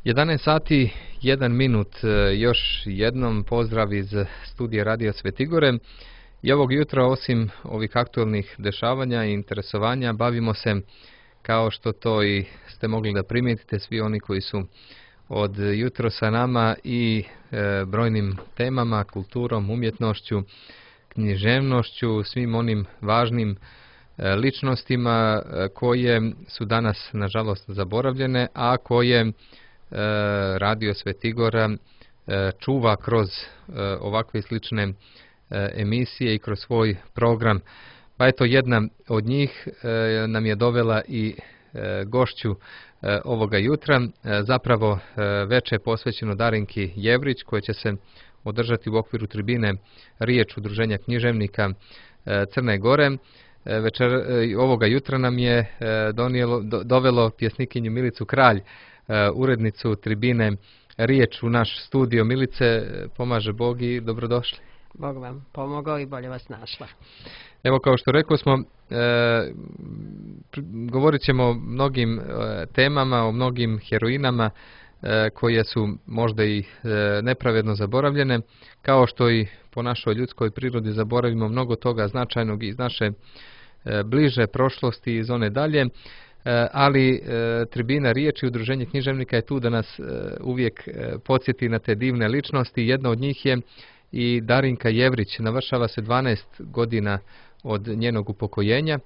11 sati, 1 minut, još jednom pozdrav iz studija Radio Svetigore. I ovog jutra, osim ovih aktualnih dešavanja i interesovanja, bavimo se, kao što to i ste mogli da primijetite, svi oni koji su od jutro sa nama, i brojnim temama, kulturom, umjetnošću, književnošću, svim onim važnim ličnostima koje su danas, nažalost, zaboravljene, a koje Radio Svetigora čuva kroz ovakve slične emisije i kroz svoj program. Pa eto, jedna od njih nam je dovela i gošću ovoga jutra, zapravo veče posvećeno Darinki Jevrić, koje će se održati u okviru tribine Riječ Udruženja književnika Crne Gore. Ovoga jutra nam je dovelo pjesnikinju Milicu Kralj, urednicu tribine Riječ, u naš studio. Milice, pomaže Bog i dobrodošli. Bog vam pomogao i bolje vas našla. Evo, kao što rekao smo, govorit ćemo o mnogim temama, o mnogim heroinama koje su možda i nepravedno zaboravljene, kao što i po našoj ljudskoj prirodi zaboravimo mnogo toga značajnog iz naše bliže prošlosti i iz one dalje, ali tribina Riječi, Udruženje književnika, je tu da nas uvijek podsjeti na te divne ličnosti. Jedna od njih je i Darinka Jevrić. Navršava se 12 godina od njenog upokojenja.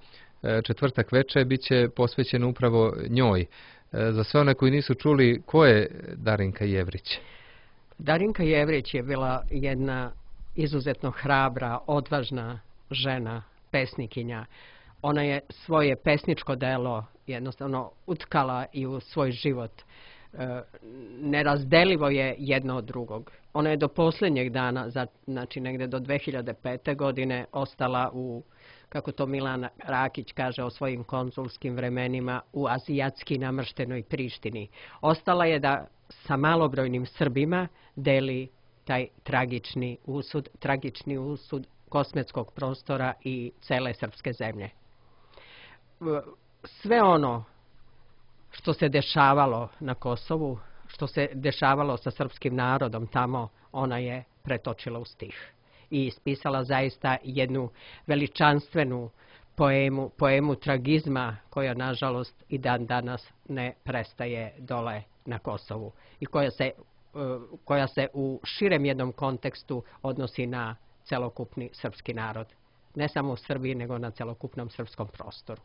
Četvrtak večer bit će posvećen upravo njoj. Za sve one koji nisu čuli, ko je Darinka Jevrić? Darinka Jevrić je bila jedna izuzetno hrabra, odvažna žena, pesnikinja. Ona je svoje pesničko delo jednostavno utkala i u svoj život. Nerazdelivo je jedno od drugog. Ona je do posljednjeg dana, znači negdje do 2005. godine, ostala u, kako to Milan Rakić kaže o svojim konzulskim vremenima, u azijatski namrštenoj Prištini. Ostala je da sa malobrojnim Srbima deli taj tragični usud kosmetskog prostora i cele srpske zemlje. Sve ono što se dešavalo na Kosovu, što se dešavalo sa srpskim narodom tamo, ona je pretočila u stih i ispisala zaista jednu veličanstvenu poemu tragizma, koja nažalost i dan danas ne prestaje dole na Kosovu i koja se u širem jednom kontekstu odnosi na celokupni srpski narod. Ne samo u Srbiji, nego na celokupnom srpskom prostoru.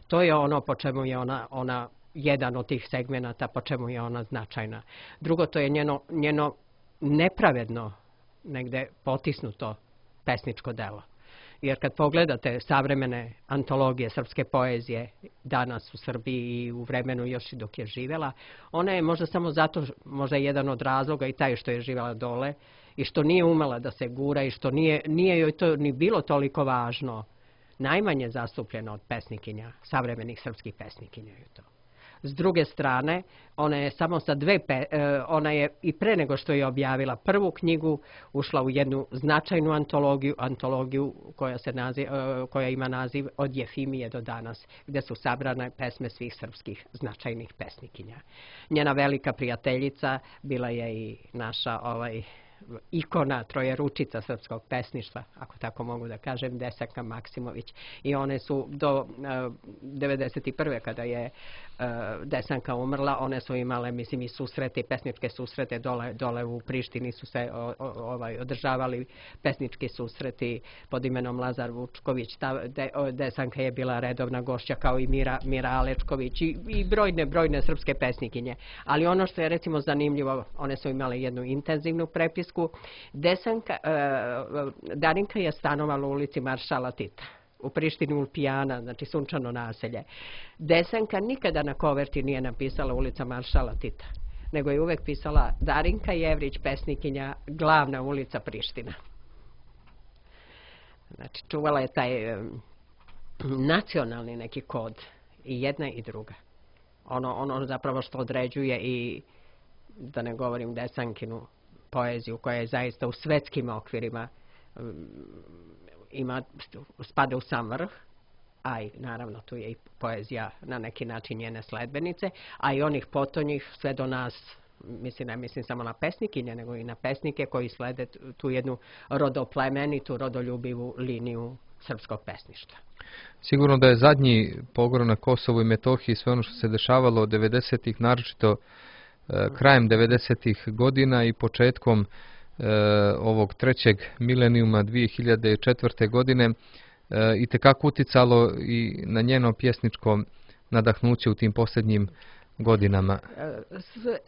To je ono po čemu je ona jedan od tih segmenata, po čemu je ona značajna. Drugo, to je njeno nepravedno negde potisnuto pesničko delo. Jer kad pogledate savremene antologije srpske poezije danas u Srbiji i u vremenu još i dok je živjela, ona je možda samo zato, možda jedan od razloga i taj što je živjela dole i što nije umela da se gura i što nije joj to ni bilo toliko važno, najmanje zastupljeno od pesnikinja, savremenih srpskih pesnikinja je to. S druge strane, ona je samo sa ona je i pre nego što je objavila prvu knjigu ušla u jednu značajnu antologiju koja ima naziv Od Jefimije do danas, gdje su sabrane pesme svih srpskih značajnih pesnikinja. Njena velika prijateljica bila je i naša ikona, trojeručica srpskog pesništva, ako tako mogu da kažem, Desanka Maksimović. I one su do 1991. kada je Desanka umrla, one su imale, mislim, i susrete, i pesničke susrete dole u Prištini su se održavali pesnički susreti pod imenom Lazar Vučković. Desanka je bila redovna gošća, kao i Mira Alečković i brojne srpske pesnikinje. Ali ono što je recimo zanimljivo, one su imale jednu intenzivnu prepisku. Darinka je stanovala u ulici Maršala Tita, u Prištini Ulpijana, znači sunčano naselje. Desanka nikada na koverti nije napisala ulica Maršala Tita, nego je uvek pisala Darinka Jevrić, pesnikinja, glavna ulica Priština. Znači, čuvala je taj nacionalni neki kod, i jedna i druga. Ono zapravo što određuje i, da ne govorim, Desankinu poeziju, koja je zaista u svetskim okvirima spada u sam vrh, a i naravno tu je i poezija na neki način njene sledbenice, a i onih potonjih sve do nas, ne mislim samo na pesnikinje, nego i na pesnike koji slede tu jednu rodoplemenitu, rodoljubivu liniju srpskog pesništva. Sigurno da je zadnji pogrom na Kosovu i Metohiji, sve ono što se dešavalo 90-ih, naročito krajem 90-ih godina i početkom ovog trećeg milenijuma 2004. godine, itekako uticalo i na njeno pjesničko nadahnuće u tim posljednjim godinama.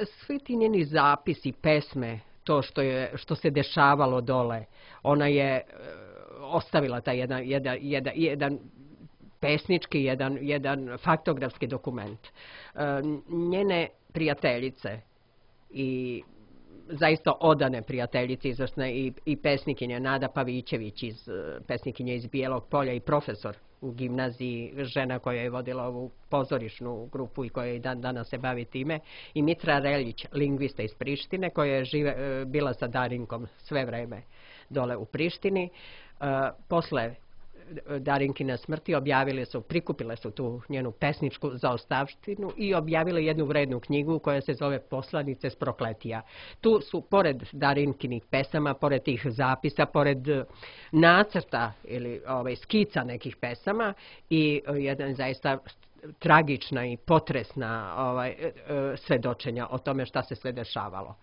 Svi ti njeni zapisi, pesme, to što se dešavalo dole, ona je ostavila taj jedan pesnički, jedan faktografski dokument. Njene prijateljice i zaista odane prijateljice, izvrsne i pesnikinja Nada Pavićević, pesnikinja iz Bijelog Polja i profesor u gimnaziji, žena koja je vodila ovu pozorišnu grupu i koja i danas se bavi time, i Mitra Reljić, lingvista iz Prištine, koja je bila sa Darinkom sve vreme dole u Prištini. Posle Darinkine smrti prikupile su tu njenu pesničku zaostavštinu i objavile jednu vrednu knjigu koja se zove Poslanice s Prokletija. Tu su, pored Darinkinih pesama, pored tih zapisa, pored nacrta ili skica nekih pesama i jedan zaista tragična i potresna svedočenja o tome šta se sve dešavalo.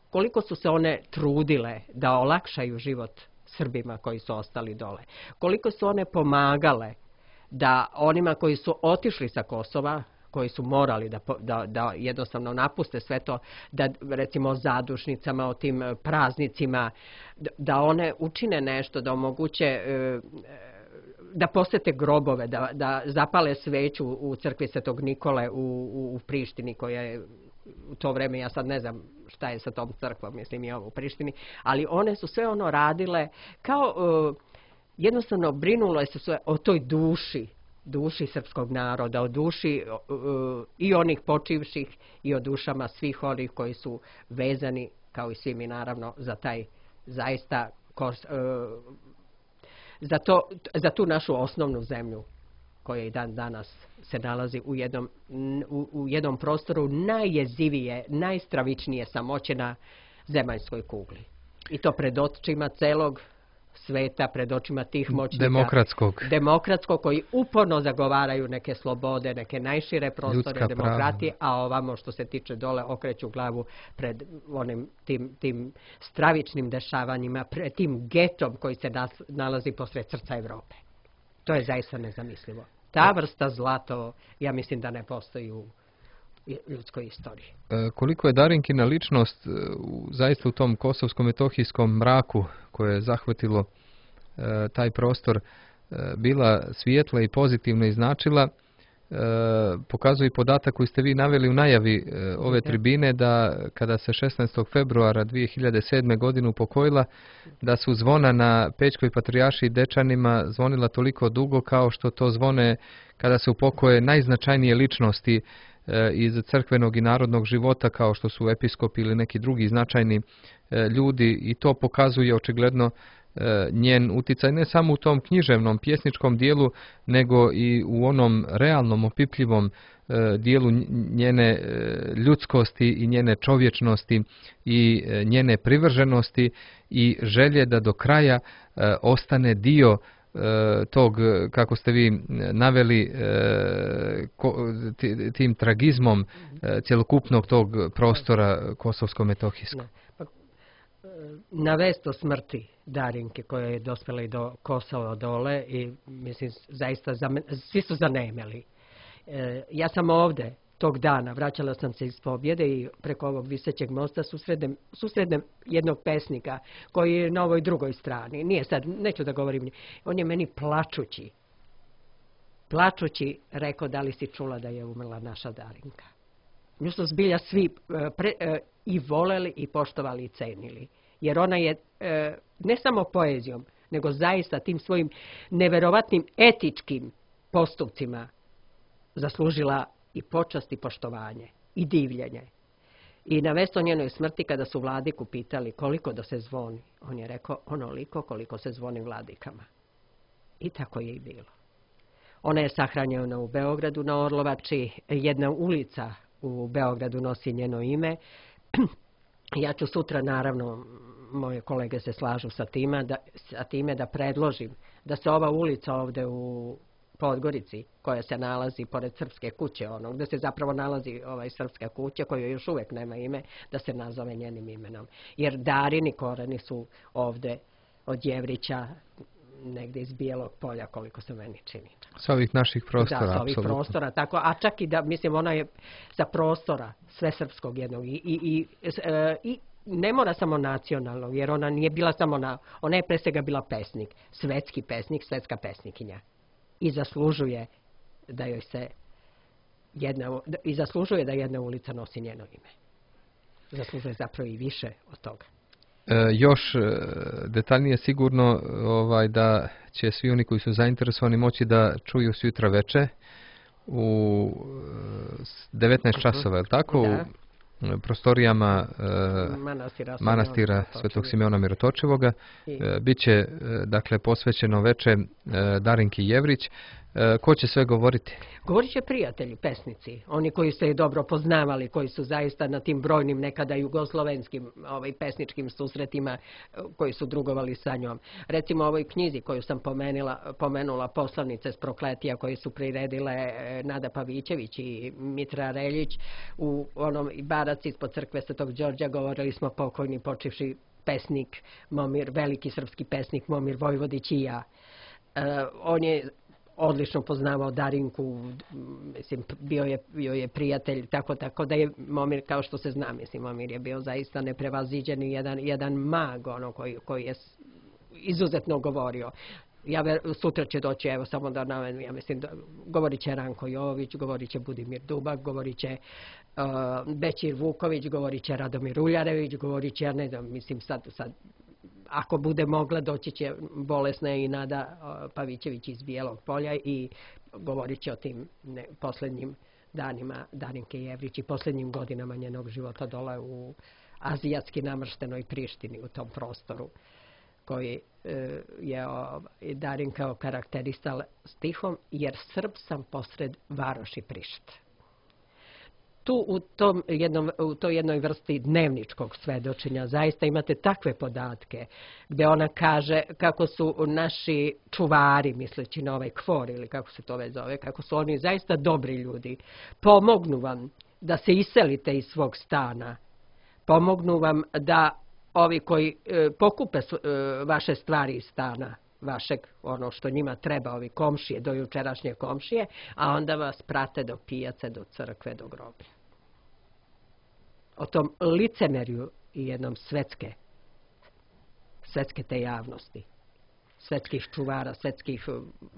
Koliko su se one trudile da olakšaju život Srbima koji su ostali dole. Koliko su one pomagale da onima koji su otišli sa Kosova, koji su morali da jednostavno napuste sve to, da recimo o zadušnicama, o tim praznicima, da one učine nešto, da omoguće da posete grobove, da zapale sveću u crkvi Svetog Nikole u Prištini, koja je u to vreme, ja sad ne znam šta je sa tom crkvom, mislim i ovo u Prištini, ali one su sve ono radile kao jednostavno brinulo se sve o toj duši srpskog naroda, o duši i onih počivših i o dušama svih onih koji su vezani, kao i svi mi naravno, za taj zaista za tu našu osnovnu zemlju koja i dan danas se nalazi u jednom prostoru najjezivije, najstravičnije samoće na zemaljskoj kugli. I to pred očima celog sveta, pred očima tih moćnika. Demokratskog, koji uporno zagovaraju neke slobode, neke najšire prostore demokratije, a ovamo što se tiče dole okreću glavu pred tim stravičnim dešavanjima, pred tim getom koji se nalazi posred srca Evrope. To je zaista nezamislivo. Ta vrsta zla, ja mislim da ne postoji u ljudskoj istoriji. Koliko je Darinkina ličnost zaista u tom kosovsko-metohijskom mraku koje je zahvatilo taj prostor bila svijetla i pozitivna i značila, pokazuje i podatak koji ste vi naveli u najavi ove tribine, da kada se 16. februara 2007. godine upokojila, da su zvona na Pećkoj patrijaršiji i Dečanima zvonila toliko dugo kao što to zvone kada se upokoje najznačajnije ličnosti iz crkvenog i narodnog života, kao što su episkopi ili neki drugi značajni ljudi, i to pokazuje očigledno njen uticaj ne samo u tom književnom, pjesničkom dijelu, nego i u onom realnom, opipljivom dijelu njene ljudskosti i njene čovječnosti i njene privrženosti i želje da do kraja ostane dio tog, kako ste vi naveli, tim tragizmom cjelokupnog tog prostora kosovsko-metohijskog. Na vest o smrti Darinke, koja je dospjela i do Kosova dole, i mislim zaista svi su zanemeli. Ja sam ovde tog dana, vraćala sam se iz Pobjede i preko ovog visećeg mosta susrednem jednog pesnika koji je na ovoj drugoj strani. Nije sad, neću da govorim, on je meni plačući rekao: da li si čula da je umrla naša Darinka? Nju su zbilja svi i voleli i poštovali i cenili. Jer ona je ne samo poezijom, nego zaista tim svojim neverovatnim etičkim postupcima zaslužila i počast i poštovanje i divljenje. I na vest o njenoj smrti, kada su vladiku pitali koliko da se zvoni, on je rekao: onoliko koliko se zvoni vladikama. I tako je i bilo. Ona je sahranjena u Beogradu na Orlovači. Jedna ulica u Beogradu nosi njeno ime. Ja ću sutra, naravno, moje kolege se slažu sa time da predložim da se ova ulica ovde u Podgorici, koja se nalazi pored Srpske kuće, gde se zapravo nalazi Srpska kuća, koja još uvek nema ime, da se nazove njenim imenom. Jer Darini koreni su ovde od Jevrića, negde iz Bijelog Polja, koliko se meni čini. Sa ovih naših prostora, da, sa ovih apsolutno. Prostora, tako, a čak i da, mislim, ona je sa prostora sve srpskog jednog i ne mora samo nacionalnog, jer ona nije bila samo ona je pre svega bila pesnik, svetski pesnik, svetska pesnikinja. I zaslužuje da joj se zaslužuje da jedna ulica nosi njeno ime. Zaslužuje zapravo i više od toga. Još detaljnije sigurno da će svi oni koji su zainteresovani moći da čuju sutra veče u 19 časova, je li tako? Da. U prostorijama manastira Svetog Simeona Mirotočivoga. Biće, dakle, posvećeno veče Darinki Jevrić. Ko će sve govoriti? Govorit će prijatelji, pesnici, oni koji se dobro poznavali, koji su zaista na tim brojnim nekada jugoslovenskim pesničkim susretima, koji su drugovali sa njom. Recimo ovoj knjizi koju sam pomenula, Poslanice s Prokletija, koji su priredile Nada Pavićević i Mitra Reljić u onom baraci ispod crkve Svetog Đorđa, govorili smo pokojni počivši pesnik Momir, veliki srpski pesnik Momir Vojvodić i ja. On je odlično poznavao Darinku, mislim, bio je prijatelj, tako da je Momir, kao što se zna, mislim, Momir je bio zaista neprevaziđen i jedan mag, koji je izuzetno govorio. Sutra će doći, evo samo da navedem, ja mislim, govorit će Ranko Jović, govorit će Budimir Dubak, govorit će Bećir Vuković, govorit će Radomir Uljarević, govorit će, ja ne znam, mislim, sad ako bude mogla, doći će bolesna i Nada Pavićević iz Bijelog Polja i govorit će o tim posljednjim danima Darinke Jevrić i posljednjim godinama njenog života dole u azijatski namrštenoj Prištini, u tom prostoru koji je Darinka okarakterisala stihom, jer Srb sam posred varoši Prišt. Tu u toj jednoj vrsti dnevničkog svedočenja zaista imate takve podatke gde ona kaže kako su naši čuvari, misleći na ovaj KFOR ili kako se to već zove, kako su oni zaista dobri ljudi. Pomognu vam da se iselite iz svog stana. Pomognu vam da ovi koji pokupe vaše stvari iz stana, vašeg, ono što njima treba, ovi komšije, do jučerašnje komšije, a onda vas prate do pijace, do crkve, do groblja. O tom licemerju i jednom svetske te javnosti, svetskih čuvara, svetskih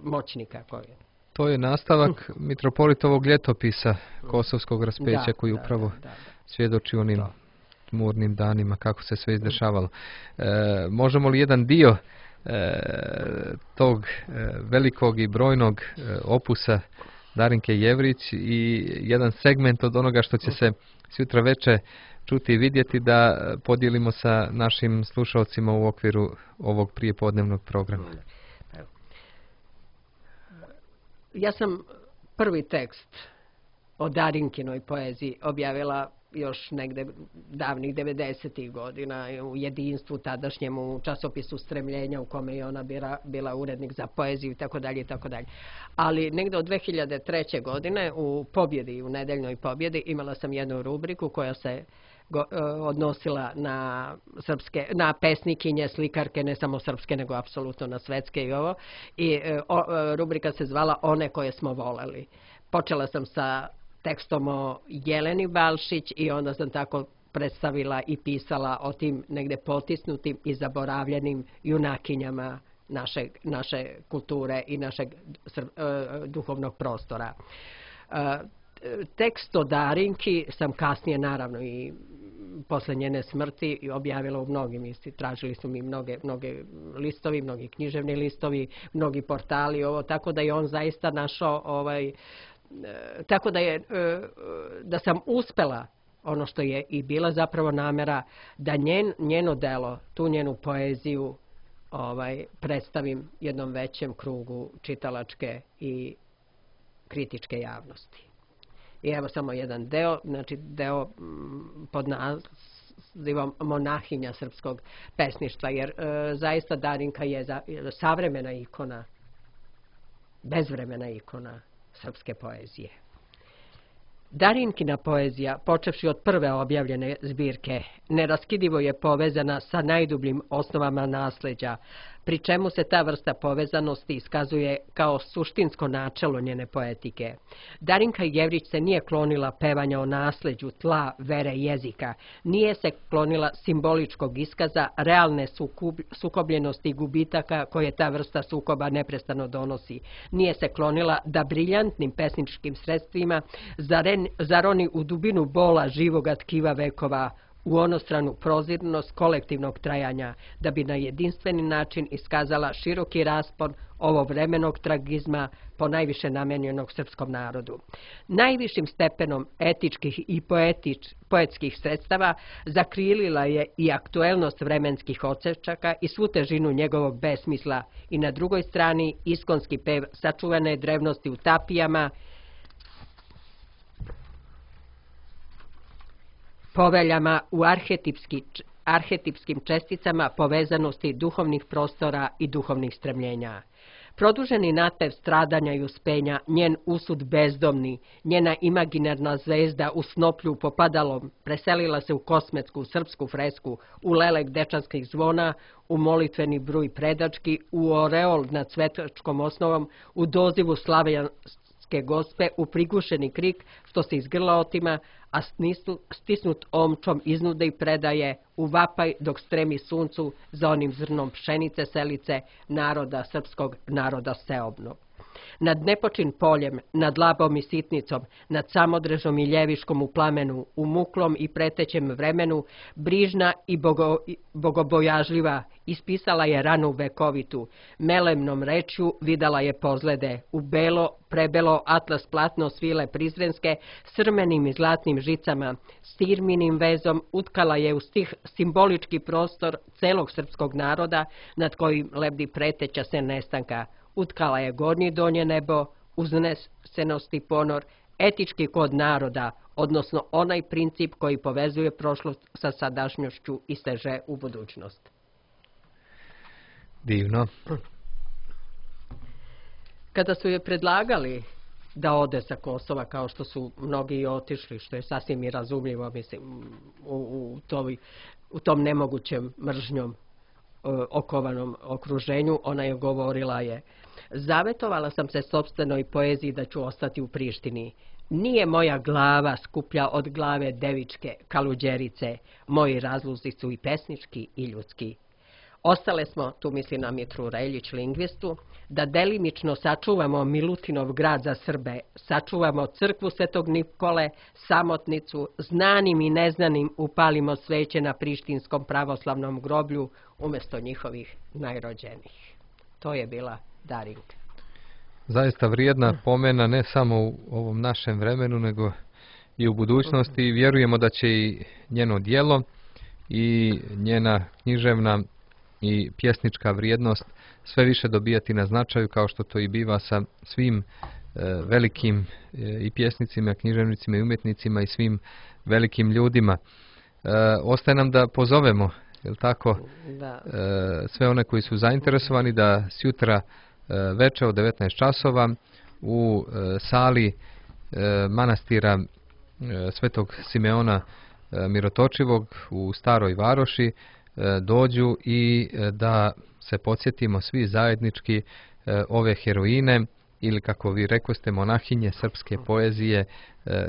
moćnika koje. To je nastavak mitropolitovog ljetopisa Kosovskog raspeća koji upravo svjedoči onim tmurnim danima kako se sve izdešavalo. Možemo li jedan dio tog velikog i brojnog opusa Darinke Jevrić i jedan segment od onoga što će se sutra veče čuti i vidjeti da podijelimo sa našim slušalcima u okviru ovog prijepodnevnog programa? Ja sam prvi tekst o Darinkinoj poeziji objavila još negde davnih 90. godina u Jedinstvu tadašnjem, u časopisu Stremljenja u kome je ona bila urednik za poeziju i tako dalje. Ali negde od 2003. godine u Pobjedi, u Nedeljnoj Pobjedi, imala sam jednu rubriku koja se odnosila na pesnikinje, slikarke, ne samo srpske, nego apsolutno na svetske i ovo. I rubrika se zvala One koje smo voleli. Počela sam sa tekstom o Jeleni Balšić i onda sam tako predstavila i pisala o tim negde potisnutim i zaboravljenim junakinjama naše kulture i našeg duhovnog prostora. Tekst o Darinki sam kasnije, naravno, i posle njene smrti objavila u mnogim, tražili su mi mnoge listovi, mnogi književni listovi, mnogi portali, tako da je on zaista našao tako da sam uspela, ono što je i bila zapravo namera, da njeno delo, tu njenu poeziju predstavim jednom većem krugu čitalačke i kritičke javnosti. I evo samo jedan deo, znači deo pod nazivom Monahinja srpskog pesništva, jer zaista Darinka je savremena ikona, bezvremena ikona srpske poezije. Darinkina poezija, počevši od prve objavljene zbirke, neraskidivo je povezana sa najdubljim osnovama nasleđa, pri čemu se ta vrsta povezanosti iskazuje kao suštinsko načelo njene poetike. Darinka Jevrić se nije klonila pevanja o nasleđu, tla, vere, jezika, nije se klonila simboličkog iskaza, realne sukobljenosti i gubitaka koje ta vrsta sukoba neprestano donosi. Nije se klonila da briljantnim pesničkim sredstvima zaroni u dubinu bola živoga tkiva vekova, u onostranu prozirnost kolektivnog trajanja, da bi na jedinstveni način iskazala široki raspon ovovremenog tragizma po najviše namenjenog srpskom narodu. Najvišim stepenom etičkih i poetskih sredstava zakrilila je i aktuelnost vremenskih odsečaka i svu težinu njegovog besmisla i na drugoj strani iskonski pev sačuvane drevnosti u tapijama, poveljama u arhetipskim česticama povezanosti duhovnih prostora i duhovnih stremljenja. Produženi natpev stradanja i uspenja, njen usud bezdomni, njena imaginarna zvezda u snoplju popadalom preselila se u kosmetsku srpsku fresku, u lelek dečanskih zvona, u molitveni bruj predački, u oreol nad svetačkom osnovom, u dozivu slavijanske gospe, u prigušeni krik što se iz grla otima, a stisnut omčom iznude i predaje, u vapaj dok stremi suncu za onim zrnom pšenice selice naroda srpskog, naroda seobnog. Nad nepočin poljem, nad labom i sitnicom, nad samodrežom i ljeviškom u plamenu, u muklom i pretećem vremenu, brižna i bogobojažljiva, ispisala je ranu vekovitu, melemnom rečju videla je pozlede, u belo, prebelo atlas platno svile prizrenske, srmenim i zlatnim žicama, stirminim vezom utkala je u stih simbolički prostor celog srpskog naroda, nad kojim lebdi preteća se nestanka. Utkala je gornje i donje nebo, uznesenost i ponor, etički kod naroda, odnosno onaj princip koji povezuje prošlost sa sadašnjošću i seže u budućnost. Divno. Kada su je predlagali da ode sa Kosova, kao što su mnogi i otišli, što je sasvim i razumljivo, mislim, u tom nemogućem mržnjom okovanom okruženju, ona je govorila zavetovala sam se sopstvenoj poeziji da ću ostati u Prištini. Nije moja glava skuplja od glave devičke kaluđerice, moji razlozi su i pesnički i ljudski. Ostale smo, tu misli na Mitru Reljić, lingvistu, da delimično sačuvamo Milutinov grad za Srbe, sačuvamo crkvu Svetog Nikole, Samotnicu, znanim i neznanim upalimo sveće na prištinskom pravoslavnom groblju umjesto njihovih najrođenijih. To je bila Darinka. Zaista vrijedna pomena ne samo u ovom našem vremenu, nego i u budućnosti. I vjerujemo da će i njeno djelo i njena književna i pjesnička vrijednost sve više dobijati na značaju, kao što to i biva sa svim velikim i pjesnicima, književnicima i umjetnicima i svim velikim ljudima. Ostaje nam da pozovemo, jel tako, sve one koji su zainteresovani da sjutra veče od 19 časova u sali manastira Svetog Simeona Mirotočivog u Staroj Varoši dođu i da se podsjetimo svi zajednički ove heroine ili, kako vi rekoste, monahinje srpske poezije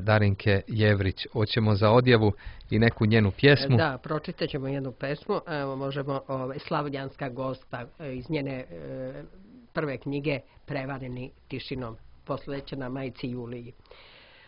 Darinke Jevrić. Hoćemo za odjavu i neku njenu pjesmu. Da, pročitat ćemo jednu pesmu. Evo, možemo Slavljanska gospa iz njene prve knjige Prevareni tišinom, posvećena majci Juliji.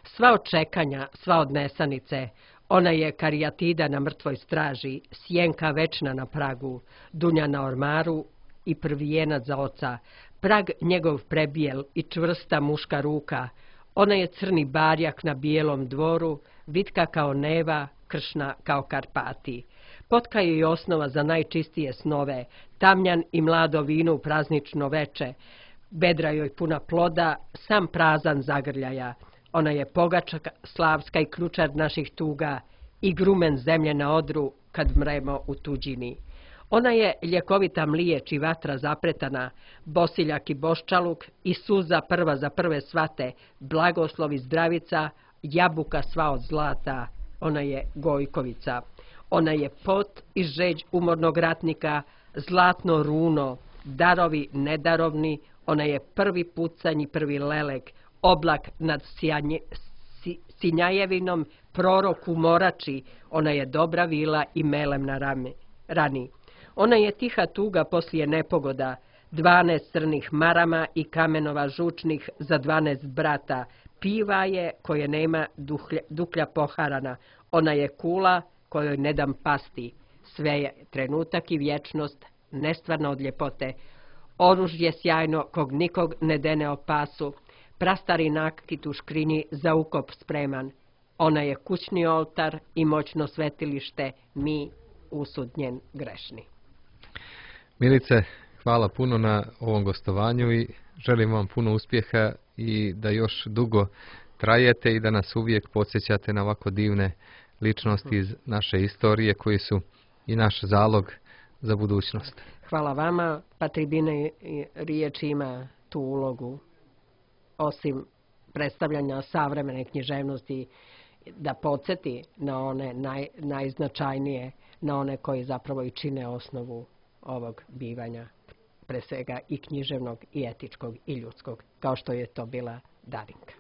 Sva od čekanja, sva od nesanice, ona je karijatida na mrtvoj straži, sjenka večna na pragu, dunja na ormaru i prvijenac za oca, prag njegov prebijel i čvrsta muška ruka, ona je crni barjak na bijelom dvoru, vitka kao neva, kršna kao Karpati. Potka je i osnova za najčistije snove, tamnjan i mlado vino u praznično veče, bedra joj puna ploda, sam prazan zagrljaja. Ona je pogača slavska i ključar naših tuga i grumen zemlje na odru kad mremo u tuđini. Ona je ljekovita mliječ i vatra zapretana, bosiljak i boščaluk i suza prva za prve svate, blagoslov i zdravica, jabuka sva od zlata. Ona je Gojkovica. Ona je pot i žeđ umornog ratnika, zlatno runo, darovi nedarovni. Ona je prvi pucanj i prvi lelek, oblak nad Sinjajevinom, prorok u morači. Ona je dobra vila i melem na rani. Ona je tiha tuga poslije nepogoda, 12 crnih marama i kamenova žučnih za 12 brata. Piva je koje nema duklja poharana. Ona je kula kojoj ne dam pasti. Sve je trenutak i vječnost, nestvarno od ljepote. Oružje sjajno kog nikog ne dene o pasu. Prastari nakit u škrinji za ukop spreman. Ona je kućni oltar i moćno svetilište, mi usud njen grešni. Milice, hvala puno na ovom gostovanju i želim vam puno uspjeha i da još dugo trajete i da nas uvijek podsjećate na ovako divne ličnosti iz naše istorije koji su i naš zalog za budućnost. Hvala vama, pa tribina riječ ima tu ulogu, osim predstavljanja savremene književnosti, da podsjeti na one najznačajnije, na one koji zapravo i čine osnovu ovog bivanja, pre svega i književnog, i etičkog, i ljudskog, kao što je to bila Darinka.